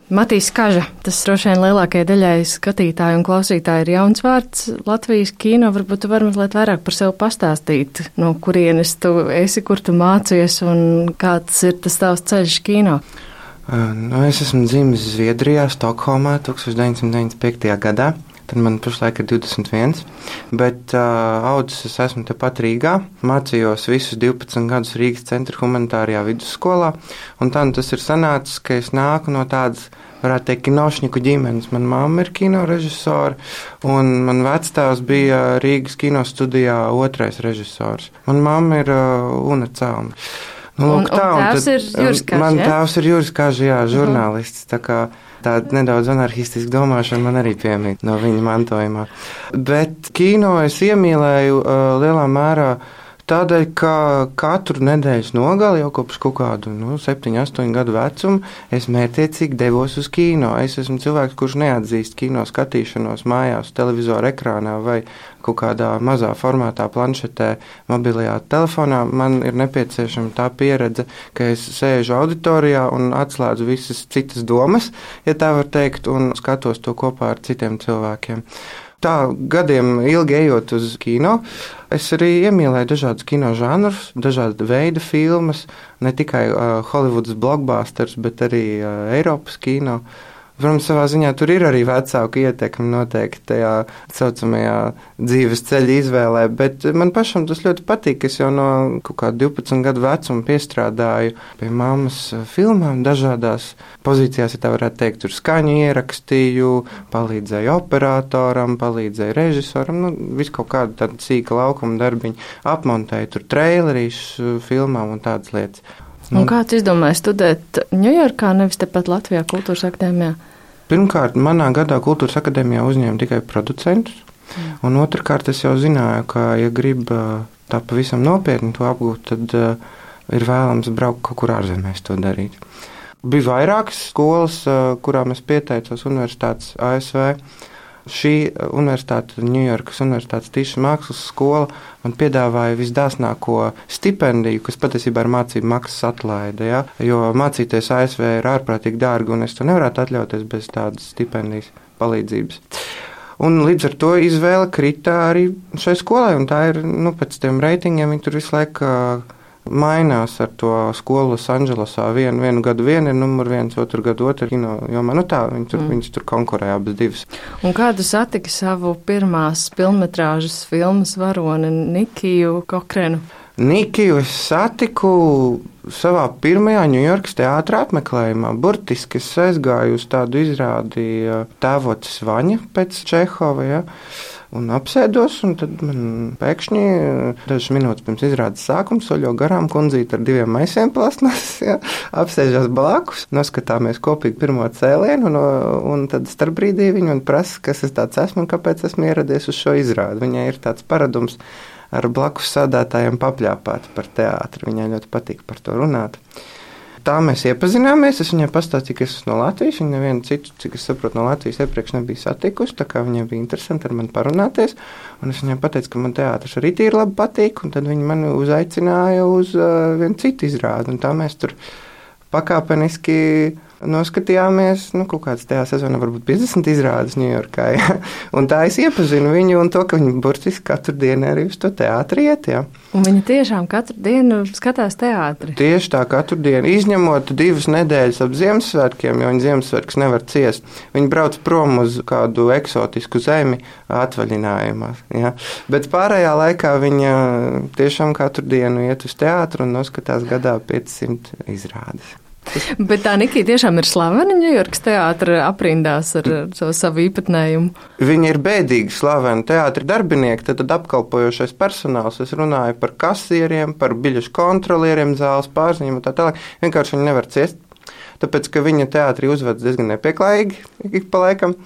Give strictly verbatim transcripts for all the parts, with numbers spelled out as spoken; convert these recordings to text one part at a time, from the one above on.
Matīs Kaža, tas droši vien lielākajai daļai skatītāju un klausītāju ir jauns vārds Latvijas kino. Varbūt tu vari mazliet vairāk par sevi pastāstīt, no kurienes tu esi, kur tu mācies un kāds ir tas tavs ceļš kino? Nu, es esmu dzimis Zviedrijā, Stokholmā tūkstoš deviņsimt deviņdesmit piektajā gadā. Tad man pašlaik ir divdesmit viens, bet uh, audzis es esmu tepat Rīgā. Mācījos visus divpadsmit gadus Rīgas centra humanitārajā vidusskolā, un tā nu tas ir sanācis, ka es nāku no tādas, varētu teikt, kinošņiku ģimenes. Man mamma ir kinorežisora, un man vectēvs bija Rīgas kinostudijā otrais režisors. Man mamma ir uh, Una Celma. Nu, lūk, un, tā, un tēvs ir Juris Kaža, man ja? tēvs ir Juris Kaža, jā, žurnālists, tā kā tāda nedaudz anarchistiska domāšana man arī piemīt no viņa mantojumā. Bet kino es iemīlēju uh, lielā mērā tādēļ, ka katru nedēļas nogali jau kopš kaut kādu nu, septiņu, astoņu gadu vecumu es mērķiecīgi devos uz kino. Es esmu cilvēks, kurš neatzīst kino skatīšanos mājās, televizora ekrānā vai kaut kādā mazā formātā, planšetē, mobilajā telefonā. Man ir nepieciešama tā pieredze, ka es sēžu auditorijā un atslēdzu visas citas domas, ja tā var teikt, un skatos to kopā ar citiem cilvēkiem. Tā gadiem ilgi ejot uz kino, es arī iemīlēju dažādus kino žanrus, dažādu veidu filmas, ne tikai uh, Hollywoodas blockbusters, bet arī uh, Eiropas kino. Protams, savā ziņā tur ir arī vecāku ietekmi noteikti tajā saucamajā dzīves ceļa izvēlē, bet man pašam tas ļoti patīk. Es jau no kaut kā divpadsmit gadu vecuma piestrādāju pie mammas filmām dažādās pozīcijās, ja tā varētu teikt, tur skaņu ierakstīju, palīdzēju operatoram, palīdzēju režisoram, nu, visu kaut kādu tādu cīka laukuma darbiņu, apmontēju tur trailerīšus filmām un tādas lietas. Un kāds izdomāja studēt Ņujorkā, nevis tepat Latvijā Kultūras akadēmijā? Pirmkārt, manā gadā Kultūras akadēmijā uzņēma tikai producentus, mm. un otrkārt es jau zināju, ka, ja grib tā pavisam nopietni to apgūt, tad uh, ir vēlams braukt kaut kur ārzemēs to darīt. Bija vairākas skolas, uh, kurām es pieteicos universitātes A S V. Šī universitāte, Ņujorkas universitātes tīša mākslas skola, man piedāvāja visdāsnāko stipendiju, kas patiesībā ir mācību maksas atlaide, ja? Jo mācīties A S V ir ārprātīgi dārgi, un es to nevarētu atļauties bez tādas stipendijas palīdzības. Un līdz ar to izvēle krita arī šai skolai, un tā ir, nu, pēc tiem reitingiem, viņi tur visu laiku mainās ar to skolu Losandželosā. Vienu, vienu gadu vienu ir numur viens, otru gadu otru kino jomā. Nu tā, viņi tur, mm. viņas tur konkurē abas divas. Un kādu satiki savu pirmās filmmetrāžas filmas varoni Nikiju Kokrenu? Nikiju es satiku savā pirmajā Ņujorkas teātra apmeklējumā. Burtiski es aizgāju uz tādu izrādi Tēvocis Vaņa pēc Čehova, ja? Un apsēdos, un tad man pēkšņi dažas minūtes pirms izrādes sākuma soļo garām kundzīte ar diviem maisiem plasmas, ja, apsēžās blakus, noskatāmies kopīgi pirmo cēlienu, un, un tad starpbrīdī viņa man prasa, kas es tāds esmu un kāpēc esmu ieradies uz šo izrādi. Viņai ir tāds paradums ar blakus sādātājiem papļāpāt par teātri, viņai ļoti patīk par to runāt. Tā mēs iepazināmies, es viņai pastāstīju, ka es esmu no Latvijas, viņa nevienu citu, cik es saprotu, no Latvijas iepriekš nebija satikusi, tā kā viņai bija interesanti ar mani parunāties, un es viņai pateicu, ka man teātris arī tīri labi patīk, un tad viņa mani uzaicināja uz uh, vienu citu izrādi, un tā mēs tur pakāpeniski noskatījāmies, nu, kaut kāds tajā sezonā varbūt piecdesmit izrādes Ņujorkā, ja? Un tā es iepazinu viņu un to, ka viņa burtiski katru dienu arī uz to teātri iet, ja? Un viņa tiešām katru dienu skatās teātri? Tieši tā, katru dienu, izņemot divas nedēļas ap Ziemassvētkiem, jo viņa Ziemassvētkus nevar ciest. Viņa brauc prom uz kādu eksotisku zemi atvaļinājumā, ja? Bet pārējā laikā viņa tiešām katru dienu iet uz teātru un noskatās gadā piecsimt izrādes. Bet tā Nikija tiešām ir slavena Ņujorkas teātra aprindās ar savu, savu īpatnējumu. Viņa ir bēdīgi slavena teātra darbinieki, tad, tad apkalpojošais personāls. Es runāju par kasieriem, par biļešu kontrolieriem, zāles pārziņiem un tā tālāk. Vienkārši viņa nevar ciest, tāpēc, ka viņa teātrī uzvedas diezgan nepieklājīgi ik pa laikam.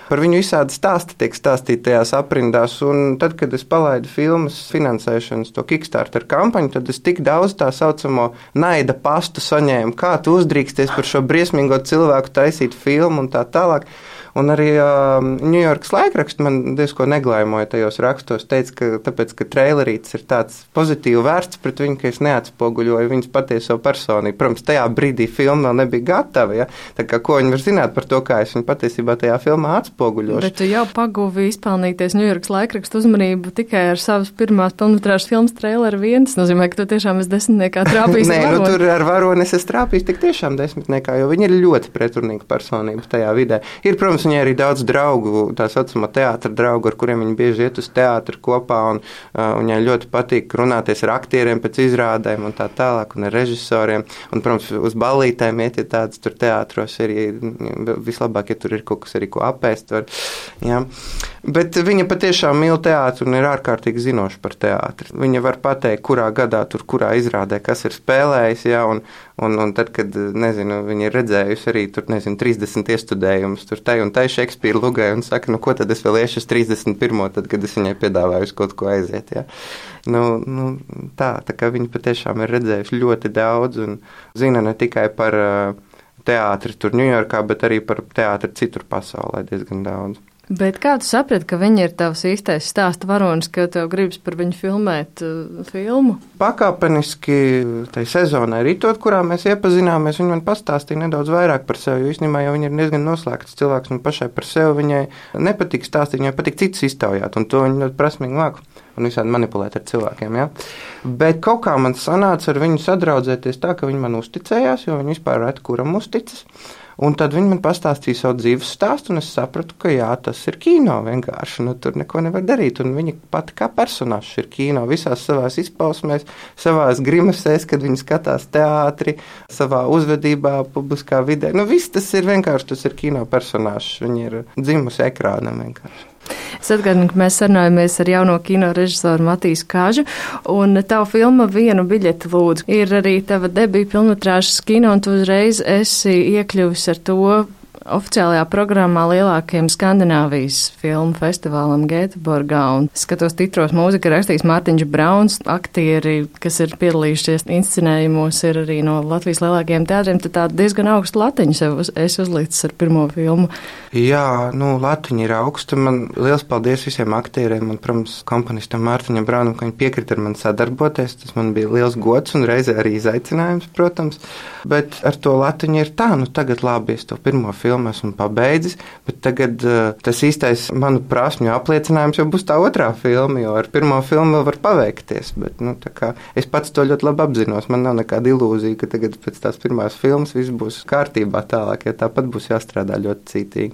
Par viņu visādi stāsti tiek stāstīti tajās aprindās, un tad, kad es palaidu filmas finansēšanas to Kickstarter kampaņu, tad es tik daudz tā saucamo naida pastu saņēmu, kā tu uzdrīksties par šo briesmīgo cilvēku taisīt filmu un tā tālāk. Un arī uh, Ņujorkas laikraksts man diezko neglaimoja tajos rakstos, teica, ka tāpēc, ka trailerīts ir tāds pozitīvi vērsts pret viņu, ka es neatspoguļoju viņas patieso personību. Protams, tajā brīdī filma vēl nebija gatava, ja? Tā kā ko viņi var zināt par to, kā es viņu patiesībā tajā filmā atspoguļošu. Bet tu jau paguvi izpelnīties Ņujorkas laikrakstu uzmanību tikai ar savas pirmās pilnmetrāžas filmas traileru vien. Tas nozīmē, ka tu tiešām esi desmitniekā trāpījis. Nē, nu tur ar varoni es esmu trāpījis tik tiešām desmitniekā, jo viņi ir ļoti pretrunīga personība tajā vidē. Ir, protams, viņai arī daudz draugu, tā saucamā teātra draugu, ar kuriem viņi bieži iet uz teātru kopā, un uh, viņai ļoti patīk runāties ar aktieriem pēc izrādēm un tā tālāk, un ar režisoriem, un, protams, uz ballītēm iet, ja tāds tur teātros ir, vislabāk, ja tur ir kaut kas arī, ko apēst var, jā. Bet viņa patiešām mīl teātru un ir ārkārtīgi zinoša par teātri. Viņa var pateikt, kurā gadā tur, kurā izrādē, kas ir spēlējis, jā, un, un, un tad, kad, nezinu, viņa ir redzējusi arī tur, nezinu, trīsdesmit iestudējumus tur tai un tai Šekspīra lugai un saka, nu, ko tad es vēl iešu uz trīsdesmit pirmo, tad, kad es viņai piedāvāju uz kaut ko aiziet, jā. Nu, nu, tā, tā kā viņa patiešām ir redzējusi ļoti daudz un zina ne tikai par uh, teātri tur Ņujorkā, bet arī par teātri citur pasaulē diezgan daudz. Bet kā tu saprati, ka viņa ir tavs īstais stāsta varonis, ka tev gribas par viņu filmēt uh, filmu? Pakāpeniski tai sezonai ritot, kurā mēs iepazināmies, viņa man pastāstīja nedaudz vairāk par sevi, jo īstenībā jau viņa ir diezgan noslēgts cilvēks un pašai par sevi viņai nepatīk stāstīt, viņai patīk citus iztaujāt, un to viņa ļoti prasmīgi māku un visādi manipulēt ar cilvēkiem, ja. Bet kaut kā man sanāca ar viņu sadraudzēties tā, ka viņa man uzticējās, jo viņa vispār reti kuram uzticas. Un tad viņi man pastāstīja savu dzīves stāstu, un es sapratu, ka jā, tas ir kino vienkārši, nu tur neko nevar darīt, un viņa pati kā personāžs ir kino visās savās izpausmēs, savās grimasēs, kad viņi skatās teātri, savā uzvedībā, publiskā vidē, nu viss tas ir vienkārši, tas ir kino personāžs, viņa ir dzimusi ekrānam vienkārši. Es atgādinu, ka mēs sarunājamies ar jauno kino režisoru Matīsu Kažu, un tava filma Vienu biļeti lūdzu ir arī tava debija pilnmetrāžas kino, un tu uzreiz esi iekļuvis ar to oficiālajā programmā lielākajam Skandināvijas filmu festivālam Gēteborgā, un skatos titros mūzika rakstījis Mārtiņš Brauns, aktieri, kas ir piedalījušies inscenējumos, ir arī no Latvijas lielākajiem teātriem, tad tā diezgan augstu latiņu sev uz, es uzlicis ar pirmo filmu. Jā, nu, latiņa ir augsta, man liels paldies visiem aktieriem, un, protams, komponistam Mārtiņam Braunam, ka viņi piekrita ar mani sadarboties, tas man bija liels gods un reizē arī izaicinājums, protams, bet ar to latiņu ir tā, nu, tagad labi, es to pirmo filmu esmu pabeidzis, bet tagad uh, tas īstais manu prasmju apliecinājums jau būs tā otrā filma, jo ar pirmo filmu vēl var paveikties, bet, nu, tā kā es pats to ļoti labi apzinos, man nav nekāda ilūzija, ka tagad pēc tās pirmās filmas viss būs kārtībā tālāk, ja tāpat būs jāstrādā ļoti cītīgi.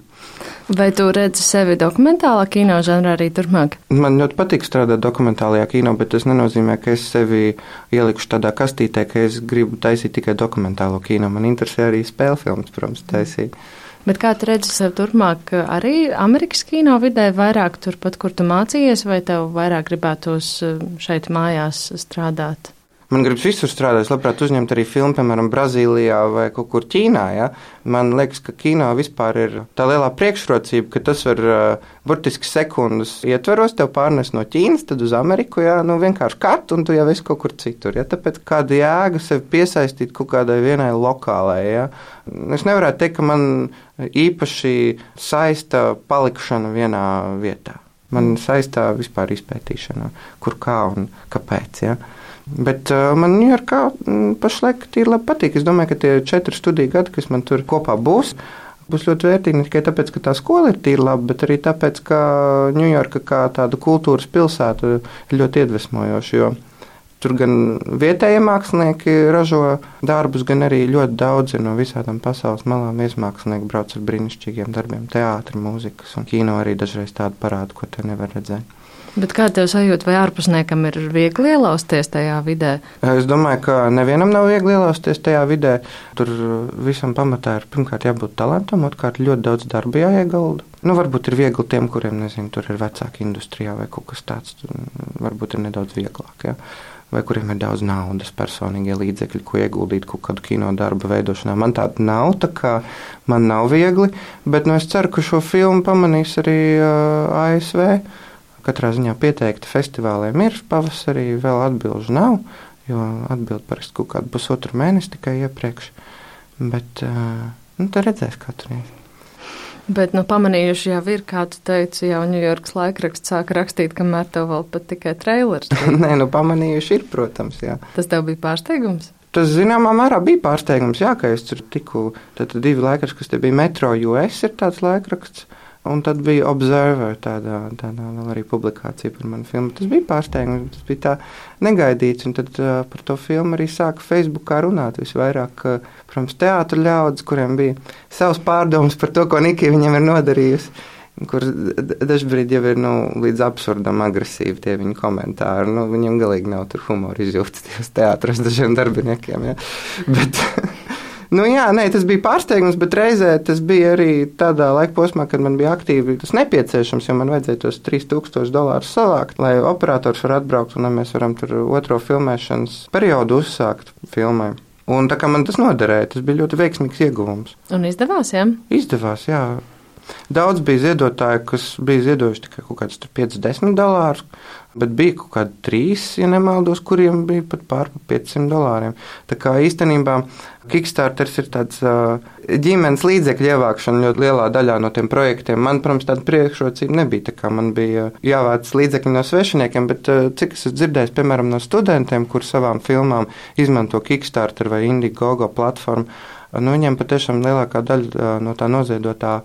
Vai tu redzi sevi dokumentālā kino žanrā arī turpmāk? Man ļoti patīk strādāt dokumentālajā kino, bet tas nenozīmē, ka es sevi ielikšu tādā kastītē, ka es gribu taisīt tikai dokumentālo kino. Man interesē arī spēļu filmas, protams, taisīt. Bet kā tu redzi sev turpmāk arī Amerikas kino vidē, vairāk turpat, kur tu mācījies, vai tev vairāk gribētos šeit mājās strādāt? Man gribas visur strādāt, es labprāt uzņemt arī filmu, piemēram, Brazīlijā vai kaut kur Ķīnā, ja? Man liekas, ka kino vispār ir tā lielā priekšrocība, ka tas var uh, burtiski sekundes ietveros, tev pārnes no Ķīnas, tad uz Ameriku, ja? Nu vienkārši kat, un tu jau esi kaut kur citur, ja? Tāpēc kāda jēga sevi piesaistīt kaut kādai vienai lokālai, ja? Es nevarētu teikt, ka man īpaši saista palikšana vienā vietā. Man saistā vispār izpētīšana, kur kā un kāpēc, ja? Bet uh, man Ņujorkā pašlaik tīri labi patīk. Es domāju, ka tie četri studiju gadi, kas man tur kopā būs, būs ļoti vērtīgi ne tikai tāpēc, ka tā skola ir tīri laba, bet arī tāpēc, ka Ņujorka kā tāda kultūras pilsēta ir ļoti iedvesmojoša, jo tur gan vietējie mākslinieki ražo darbus, gan arī ļoti daudzi no visādām pasaules malām viesmākslinieki brauc ar brīnišķīgiem darbiem, teātri, mūzikas un kino arī dažreiz tādu parādu, ko te nevar redzēt. Bet kā tev sajūt, vai ārpusniekam ir viegli ielausties tajā vidē? Es domāju, ka nevienam nav viegli ielausties tajā vidē. Tur visam pamatā ir pirmkārt jābūt talantam, otrkārt ļoti daudz darba jāiegulda. Nu, varbūt ir viegli tiem, kuriem, nezinu, tur ir vecāki industrijā vai kaut kas tāds, varbūt ir nedaudz vieglāk, ja. vai kuriem ir daudz naudas, personīgie līdzekļi, ko ieguldīt kaut kādu kino darbu veidošanā. Man tāda nav, tā kā man nav viegli, bet nu, es ceru, ka šo filmu pamanīs arī uh, A S V. Katrā ziņā pieteikti festivāliem ir pavasarī, vēl atbilžu nav, jo atbild parasti kaut kādu pusotru mēnesi tikai iepriekš. Bet uh, nu, tad redzēs katru reizi. Bet, nu, pamanījuši jau ir, kā tu teici, jau Ņujorkas laikraksts sāka rakstīt, kamēr tev vēl pat tikai trailers. Nē, nu, pamanījuši ir, protams, jā. Tas tev bija pārsteigums? Tas, zināmā mērā, bija pārsteigums, jā, ka es tur tiku, tad divi laikraksti, kas te bija Metro U S ir tāds laikraksts, un tad bija Observer, tāda, tāda vēl arī publikācija par manu filmu. Tas bija pārsteigums, tas bija tā negaidīts, un tad uh, par to filmu arī sāka Facebookā runāt visvairāk, uh, protams, teātra ļaudis, kuriem bija savs pārdoms par to, ko Nikija viņam ir nodarījusi, kur dažbrīd jau ir, nu, līdz absurdam agresīvi tie viņa komentāri. Nu, viņam galīgi nav tur humora izjūtas tajos teātros dažiem darbiniekiem, ja. Bet... Nu, jā, nē, tas bija pārsteigums, bet reizē tas bija arī tādā laika posmā, kad man bija aktīvi tas nepieciešams, jo man vajadzēja tos trīs tūkstošus dolārus savākt, lai operators var atbraukt un lai mēs varam tur otro filmēšanas periodu uzsākt filmai. Un tā kā man tas noderēja, tas bija ļoti veiksmīgs ieguvums. Un izdevās, jā? Izdevās, jā. Daudz bija ziedotāji, kas bija ziedojuši tikai kaut kādus piecdesmit desmit dolārus, bet bija kaut kādi trīs, ja nemaldos, kuriem bija pat pār piecsimt dolāriem. Tā kā īstenībā Kickstarters ir tāds uh, ģimenes līdzekļu ievākšana ļoti lielā daļā no tiem projektiem. Man, protams, tāda priekšrocība nebija, tā kā man bija jāvāc līdzekļi no svešiniekiem, bet uh, cik es esmu dzirdējis, piemēram, no studentiem, kur savām filmām izmanto Kickstarter vai Indiegogo platformu, uh, nu, viņiem patiešām lielākā daļa uh, no tā noziedotā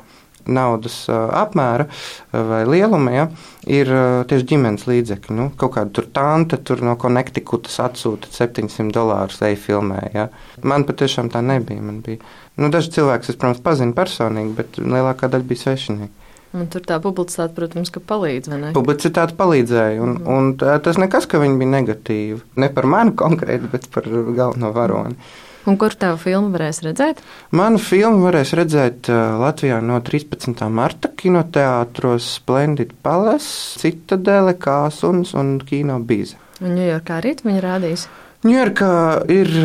naudas uh, apmēra uh, vai lieluma, ja, ir uh, tieši ģimenes līdzekļi. Nu, kaut kāda tur tante tur no Connecticutas atsūta septiņsimt dolārus ej filmē. Ja. Man patiešām tā nebija. Man bija, nu, daži cilvēki, es, protams, pazinu personīgi, bet lielākā daļa bija svešinieki. Un tur tā publicitāte, protams, ka palīdz, vai ne? Publicitāte palīdzēja, un, mm. un tā, tas nekas, ka viņi bija negatīvi. Ne par mani konkrēti, bet par galveno varoni. Un kur tavu filmu varēs redzēt? Manu filmu varēs redzēt uh, Latvijā no trīspadsmitā marta kinoteātros Splendid Palace, Citadele, Kāsuns un Kino Bize. Un Ņujorkā arī viņi rādīs? Ņujorkā ir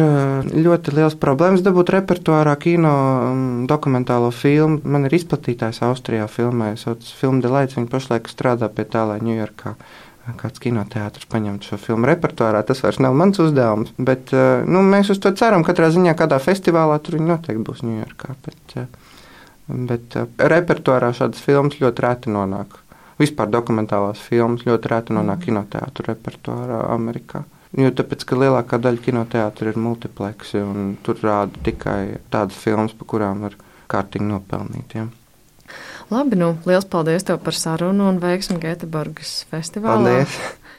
ļoti liels problēmas dabūt repertuārā kino dokumentālo filmu. Man ir izplatītājs Austrijā filmē, sauc Film Delights, viņi pašlaik strādā pie tā, lai Ņujorkā kāds kinoteātrs paņemtu šo filmu repertuārā. Tas vairs nav mans uzdevums, bet nu, mēs uz to ceram. Katrā ziņā kādā festivālā tur viņi noteikti būs Ņujorkā. Bet, bet repertuārā šādas filmas ļoti reti nonāk. Vispār dokumentālās filmas ļoti reti nonāk kinoteātru repertuārā Amerikā. Jo tāpēc, ka lielākā daļa kinoteātru ir multiplexi un tur rāda tikai tādas filmas, pa kurām var kārtīgi nopelnīt. Ja. Labi, nu, liels paldies tev par sarunu un veiksmi Gēteborgas festivālā. Paldies!